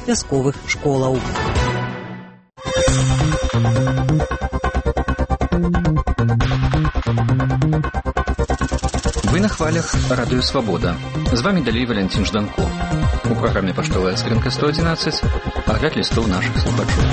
вясковых школаў. Вы на хвалях Радыё Свабода. З вами далей Валянцін Жданко. У праграме «Паштовая скрынка 111» агляд лістоў нашых слухачоў.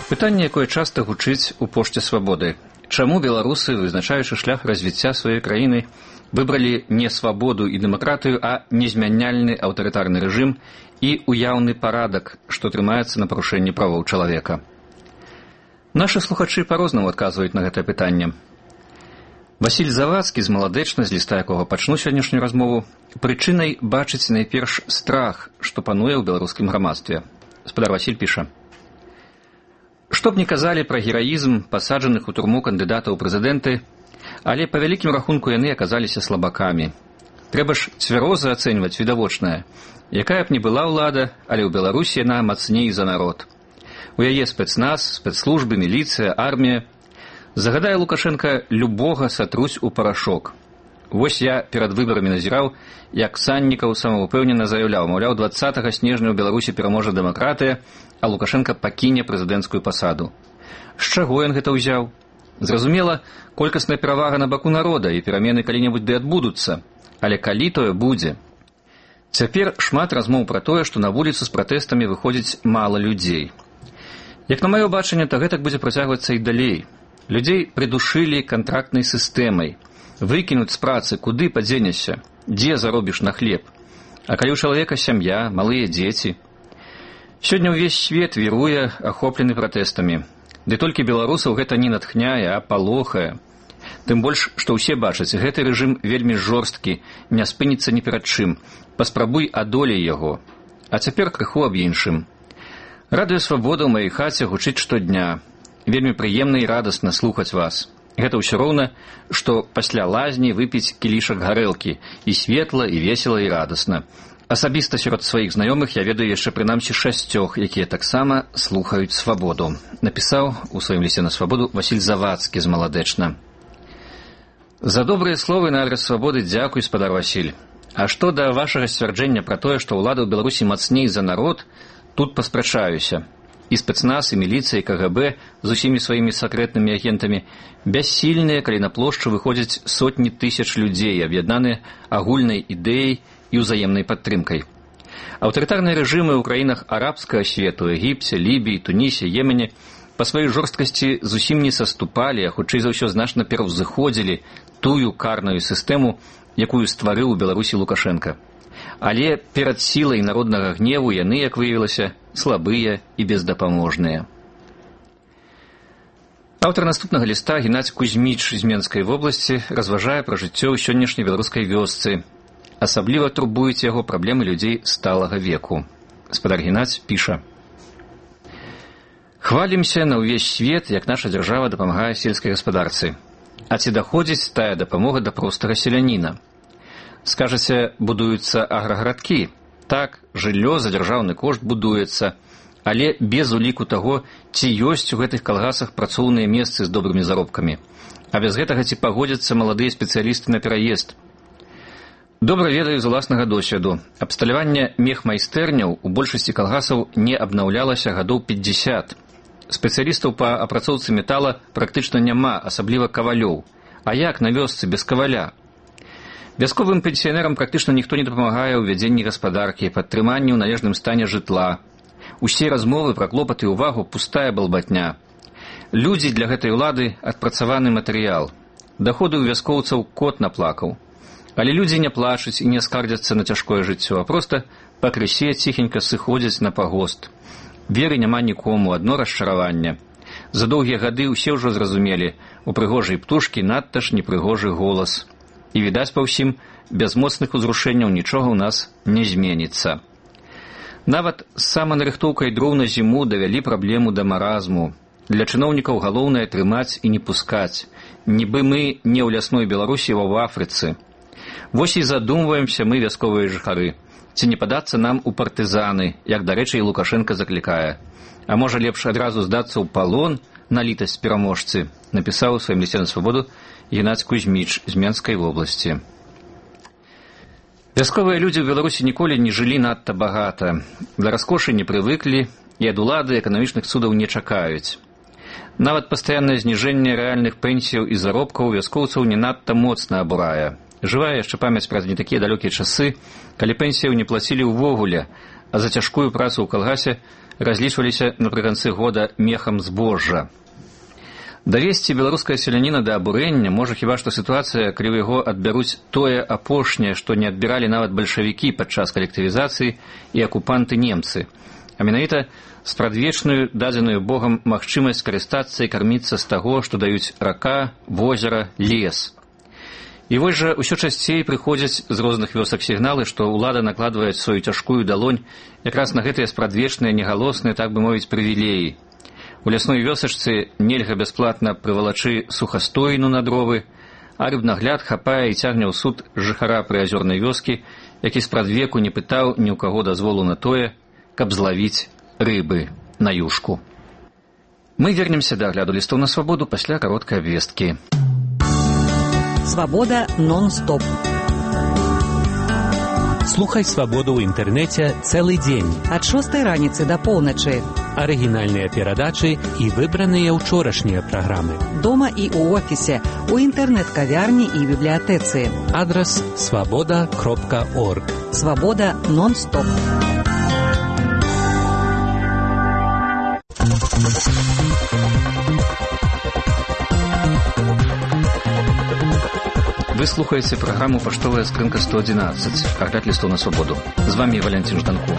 Пытанне, якое часта гучыць у пошце свабоды. Чаму беларусы, вызначаючы шлях развіцця сваёй краіны, выбралі не свабоду і дэмакратыю, а незмяняльны аўтарытарны рэжым і уяўны парадак, што трымаецца на парушэнні правоў чалавека? Нашы слухачы па-рознаму адказваюць на гэтае пытанне. Васіль Завадскі з Маладэчна, з ліста якога пачну сённяшнюю размову, прычынай бачыць найперш страх, што пануе ў беларускім грамадстве. Спадар Васіль піша: «Што б не казалі пра гераізм пасаджаных у турму кандыдатаў у прэзідэнты, але па вялікім рахунку яны аказаліся слабакамі. Трэба ж цвяроза ацэньваць відавочнае. Якая б ні была ўлада, але ў Беларусі яна мацней за народ. У яе спецназ, спецслужбы, міліцыя, армія. Загадае Лукашенка, любога сатруць у парашок. Вось я перад выбарамі назіраў, як Саннікаў самаўпэўнена заяўляў, маўляў, 20 снежня ў Беларусі пераможа дэмакратыя, а Лукашенка пакіне прэзідэнцкую пасаду. З чаго ён гэта ўзяў? Зразумела, колькасная перавага на баку народа, і перамены калі-небудзь ды адбудуцца. Але калі тое будзе? Цяпер шмат размоў пра тое, што на вуліцу з пратэстамі выходзіць мала людзей. Як на маё бачанне, то гэтак будзе працягвацца і далей. Людзей прыдушылі кантрактнай сістэмай. Выкінуць з працы, куды падзенешся, дзе заробіш на хлеб. А калі ў чалавека сям'я, малыя дзеці? Сёння ўвесь свет віруе, ахоплены пратэстамі. Ды толькі беларусаў гэта не натхняе, а палохае. Тым больш, што ўсе бачаць, гэты рэжым вельмі жорсткі, не спыніцца ні перад чым. Паспрабуй адолей яго. А цяпер крыху аб іншым. Радыё Свабода ў маёй хаце гучыць штодня. Вельмі прыемна і радасна слухаць вас. Гэта ўсё роўна, што пасля лазні выпіць кілішак гарэлкі. І светла, і весела, і радасна. Асабіста сярод сваіх знаёмых я ведаю яшчэ прынамсі 6, якія таксама слухаюць свабоду. Напісаў у сваім лісце на свабоду Васіль Завадскі з Маладэчна. За добрыя словы на адрас свабоды дзякуй, спадар Васіль. А што да вашага сцвярджэння пра тое, што ўлада ў Беларусі мацней за народ, тут паспрачаюся. І спецназ, і міліцыя, і КГБ з усімі сваімі сакрэтнымі агентамі бяссільныя, калі на плошчу выходзяць сотні тысяч людзей, аб'яднаныя агульнай ідэяй і ўзаемнай падтрымкай. Аўтарытарныя рэжымы ў краінах арабскага свету, Егіпце, Лібіі, Тунісе, Йемене па сваёй жорсткасці зусім не саступалі, а хутчэй за ўсё значна пераўзыходзілі тую карную сістэму, якую стварыў у Беларусі Лукашенка. Але перад сілай народнага гневу яны, як выявілася, слабыя і бездапаможныя. Аўтар наступнага ліста Геннадзь Кузьміч з Менскай вобласці разважае пра жыццё ў сённяшняй беларускай вёсцы. Асабліва турбуюць яго праблемы людзей сталага веку. Спадар Геннадзь піша: «Хвалімся на ўвесь свет, як наша дзяржава дапамагае сельскай гаспадарцы. А ці даходзіць тая дапамога да простага селяніна? Скажаце, будуюцца аграгарадкі. Так, жыллё за дзяржаўны кошт будуецца, але без уліку таго, ці ёсць у гэтых калгасах працоўныя месцы з добрымі заробкамі. А без гэтага ці пагодзяцца маладыя спецыялісты на пераезд? Добра ведаю з уласнага досведу. Абсталяванне мехмайстэрняў у большасці калгасаў не абнаўлялася гадоў 50. Спецыялістаў па апрацоўцы метала практычна няма, асабліва кавалёў. А як на вёсцы без каваля? Вясковым пенсіянерам практычна ніхто не дапамагае ў вядзенні гаспадаркі, падтрыманні ў належным стане жытла. Усе размовы пра клопаты і ўвагу пустая балбатня. Людзі для гэтай улады адпрацаваны матэрыял. Даходы ў вяскоўцаў кот наплакаў. Але людзі не плачуць і не скардзяцца на цяжкое жыццё, а проста пакрысе ціхенька сыходзяць на пагост. Веры няма нікому, адно расчараванне. За доўгія гады ўсе ўжо зразумелі, у прыгожай птушкі надта ж непрыгожы голас. І, відаць па ўсім, без моцных узрушэнняў нічога ў нас не зменіцца. Нават з саманарыхтоўкай дроў на зіму давялі праблему да маразму. Для чыноўнікаў галоўнае трымаць і не пускаць. Нібы мы не ў лясной Беларусі, а ў Афрыцы. Вось і задумваемся мы, вясковыя жыхары. Ці не падацца нам у партызаны, як, дарэчы, і Лукашенка заклікае. А можа лепш адразу здацца ў палон на літасць пераможцы, напісаў у сваім лісце на свабоду Геннадзь Кузьміч з Менскай вобласці. Вясковыя людзі ў Беларусі ніколі не жылі надта багата. Да раскошы не прывыклі і ад улады эканамічных цудаў не чакаюць. Нават пастаяннае зніжэнне рэальных пенсіяў і заробкаў вяскоўцаў не надта моцна абурае. Жывая яшчэ памяць праз не такія далёкія часы, калі пенсіяў не плацілі ўвогуле, а за цяжкую працу ў калгасе разлічваліся напрыканцы года мехам збожжа. Давесці беларускае селяніна да абурэння можа хіба што сітуацыя, калі ў яго адбяруць тое апошняе, што не адбіралі нават бальшавікі падчас калектывізацыі і акупанты немцы, а менавіта спрадвечную дадзеную Богам магчымасць карыстацца і карміцца з таго, што даюць рака, возера, лес. І вось жа ўсё часцей прыходзяць з розных вёсак сігналы, што ўлада накладвае сваю цяжкую далонь якраз на гэтыя спрадвечныя, негалосныя, так бы мовіць, прывілеі. У лясной вёсачцы нельга бясплатна прывалачы сухастойну на дровы, а рыбнагляд хапае і цягне ў суд жыхара прыазёрнай вёскі, які спрадвеку не пытаў ні ў каго дазволу на тое, каб злавіць рыбы на юшку. Мы вернемся да агляду лістоў на свабоду пасля кароткай абвесткі. Свабода нон-стоп. Слухай свабоду ў інтэрнэце цэлы дзень. Ад 6 раніцы да поўначы. Арыгінальныя перадачы і выбраныя ўчорашнія праграмы. Дома і ў офісе, у інтэрнэт-кавярні і бібліятэцы. Адрас свабода.орг. Свабода нон-стоп. Вы слухаеце праграму «Паштовая скрынка 111», агляд лістоў на свабоду. З вами Валянцін Жданко.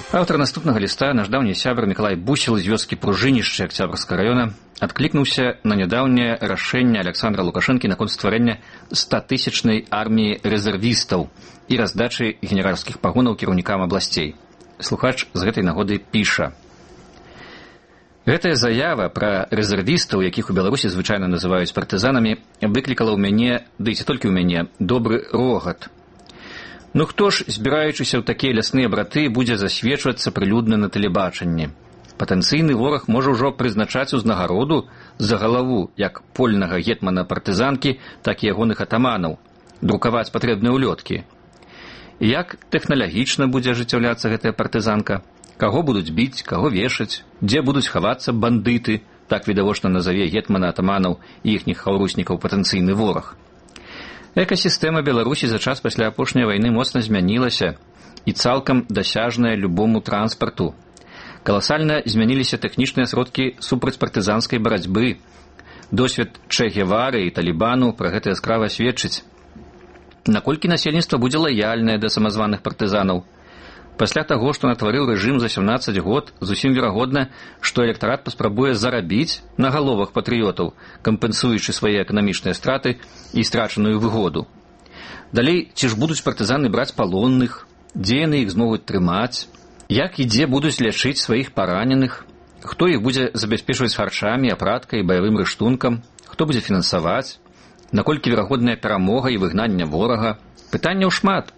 Аўтар наступнага ліста, наш даўні сябар Мікалай Бусел з вёскі Пружынішча Акцябрскага раёна, адклікнуўся на нядаўняе рашэнне Александра Лукашэнкі наконт стварэння 100-тысячнай арміі рэзервістаў і раздачы генеральскіх пагонаў кіраўнікам абласцей. Слухач з гэтай нагоды піша: гэтая заява пра рэзервістаў, якіх у Беларусі звычайна называюць партызанамі, выклікала ў мяне, ды і ці толькі ў мяне, добры рогат. Ну хто ж, збіраючыся ў такія лясныя браты, будзе засведчвацца прылюдна на тэлебачанні? Патэнцыйны вораг можа ўжо прызначаць узнагароду за галаву як польнага гетмана партызанкі, так і ягоных атаманаў, друкаваць патрэбныя ўлёткі. Як тэхналагічна будзе ажыццяўляцца гэтая партызанка? Каго будуць біць, каго вешаць, дзе будуць хавацца бандыты, так відавочна назаве гетмана атаманаў і іхніх хаўруснікаў патэнцыйны вораг. Экасістэма Беларусі за час пасля апошняй вайны моцна змянілася і цалкам дасяжная любому транспарту. Каласальна змяніліся тэхнічныя сродкі супрацьпартызанскай барацьбы. Досвед Че Гевары і Талібану пра гэта яскрава сведчыць. Наколькі насельніцтва будзе лаяльнае да самазваных партызанаў? Пасля таго, што натварыў рэжым за 17 год, зусім верагодна, што электарат паспрабуе зарабіць на галовах патрыётаў, кампенсуючы свае эканамічныя страты і страчаную выгоду. Далей, ці ж будуць партызаны браць палонных, дзе яны іх змогуць трымаць, як і дзе будуць лячыць сваіх параненых, хто іх будзе забяспечваць харчамі, апраткай, баявым рыштункам, хто будзе фінансаваць, наколькі верагодная перамога і выгнання ворага. Пытанняў шмат.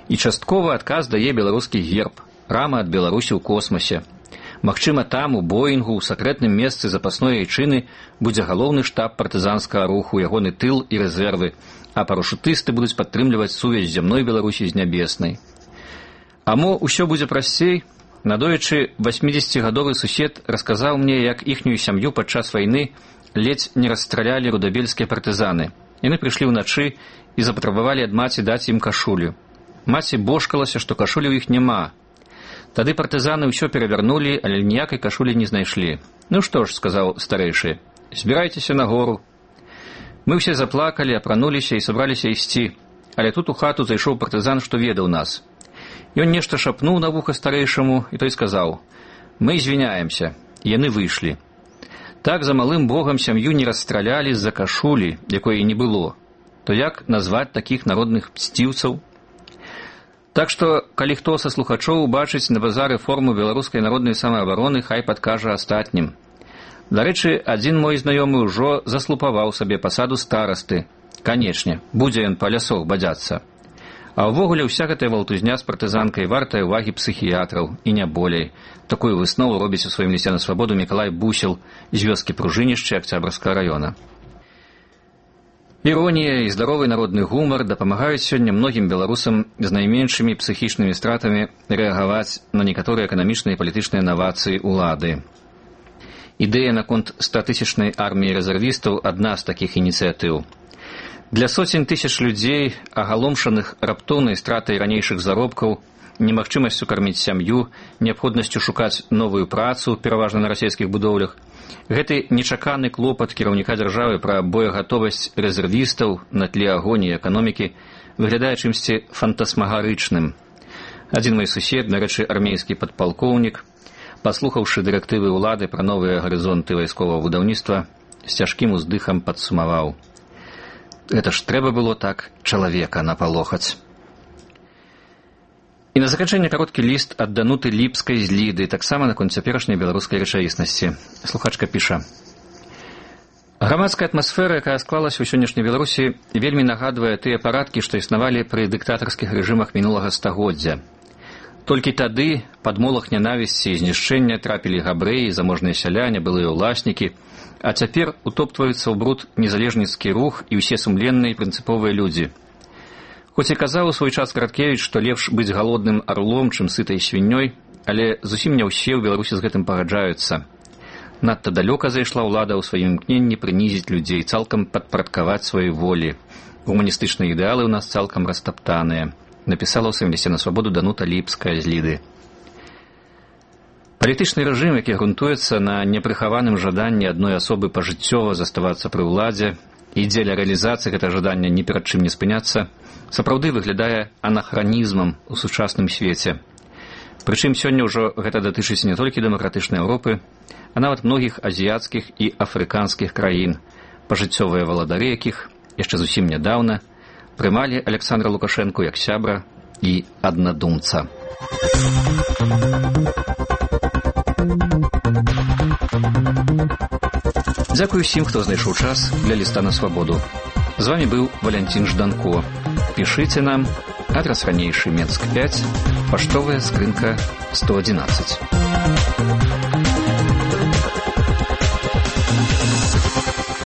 І часткова адказ дае беларускі герб, рама ад Беларусі ў космосе. Магчыма, там, у Боінгу, у сакрэтным месцы запасной айчыны будзе галоўны штаб партызанскага руху, ягоны тыл і рэзервы, а парашутысты будуць падтрымліваць сувязь зямной Беларусі з нябеснай. А мо ўсё будзе прасцей? Надоечы 80-гадовы сусед расказаў мне, як іхнюю сям'ю падчас вайны ледзь не расстралялі рудабельскія партызаны. Яны прыйшлі ўначы і запатрабавалі ад маці даць ім кашулю. Маці божкалася, што кашулі ў іх няма. Тады партызаны ўсё перавярнулі, але ніякай кашулі не знайшлі. Ну што ж, сказаў старэйшы, збірайцеся на гору. Мы ўсе заплакалі, апрануліся і сабраліся ісці. Але тут у хату зайшоў партызан, што ведаў нас. Ён нешта шапнуў на вуха старэйшаму, і той сказаў: мы звіняемся. Яны выйшлі. Так за малым богам сям'ю не расстралялі з-за кашулі, якой і не было. То як назваць такіх народных мсціўцаў? Так што, калі хто са слухачоў убачыць на базары форму беларускай народнай самаабароны, хай падкажа астатнім. Дарэчы, адзін мой знаёмы ўжо заслупаваў сабе пасаду старасты. Канечне, будзе ён па лясох бадзяцца. А ўвогуле ўся гэтая валтузня з партызанкай вартая ўвагі псіхіятраў, і не болей. Такую выснову робіць у сваім лісце на свабоду Мікалай Бусел з вёскі Пружынішча Акцябрскага раёна. Іронія і здаровы народны гумар дапамагаюць сёння многім беларусам з найменшымі псіхічнымі стратамі рэагаваць на некаторыя эканамічныя і палітычныя навацыі ўлады. Ідэя наконт 100-тысячнай арміі рэзервістаў адна з такіх ініцыятыў. Для соцень тысяч людзей, агаломшаных раптоўнай стратай ранейшых заробкаў, немагчымасцю карміць сям'ю, неабходнасцю шукаць новую працу, пераважна на расійскіх будоўлях, гэты нечаканы клопат кіраўніка дзяржавы пра боегатовасць рэзервістаў на тле агоніі эканомікі выглядае чымсьці фантасмагарычным. Адзін мой сусед, дарэчы, армейскі падпалкоўнік, паслухаўшы дырэктывы ўлады пра новыя гарызонты вайсковага будаўніцтва, з цяжкім уздыхам падсумаваў: гэта ж трэба было так чалавека напалохаць. І на заканчэнне кароткі ліст ад Дануты Ліпскай з Ліды, таксама наконт цяперашняй беларускай рэчаіснасці. Слухачка піша: грамадская атмасфера, якая склалася ў сённяшняй Беларусі, вельмі нагадвае тыя парадкі, што існавалі пры дыктатарскіх рэжымах мінулага стагоддзя. Толькі тады пад молах нянавісці і знішчэння трапілі габрэі, заможныя сяляне, былыя ўласнікі, а цяпер утоптваюцца ў бруд незалежніцкі рух і ўсе сумленныя і прынцыповыя людзі. Хоць і казаў у свой час Караткевіч, што лепш быць галодным арлом, чым сытай свіннёй, але зусім не ўсе ў Беларусі з гэтым пагаджаюцца. Надта далёка зайшла ўлада ў сваім імкненні прынізіць людзей, цалкам падпарадкаваць сваёй волі. Гуманістычныя ідэалы ў нас цалкам растаптаныя, напісала ў сваім лісце на свабоду Данута Ліпская з Ліды. Палітычны рэжым, які грунтуецца на непрыхаваным жаданні адной асобы пажыццёва заставацца пры ўладзе і дзеля рэалізацыі гэтага жадання ні перад чым не спыняцца, сапраўды выглядае анахранізмам у сучасным свеце. Прычым сёння ўжо гэта датычыць не толькі дэмакратычнай Еўропы, а нават многіх азіяцкіх і афрыканскіх краін, пажыццёвыя валадары якіх яшчэ зусім нядаўна прымалі Александра Лукашэнку як сябра і аднадумца. Дзякую усім, хто знайшоў час для ліста на свабоду. З вами быў Валянцін Жданко. Пішыце нам, адрас ранейшы, Менск 5, паштовая скрынка 111.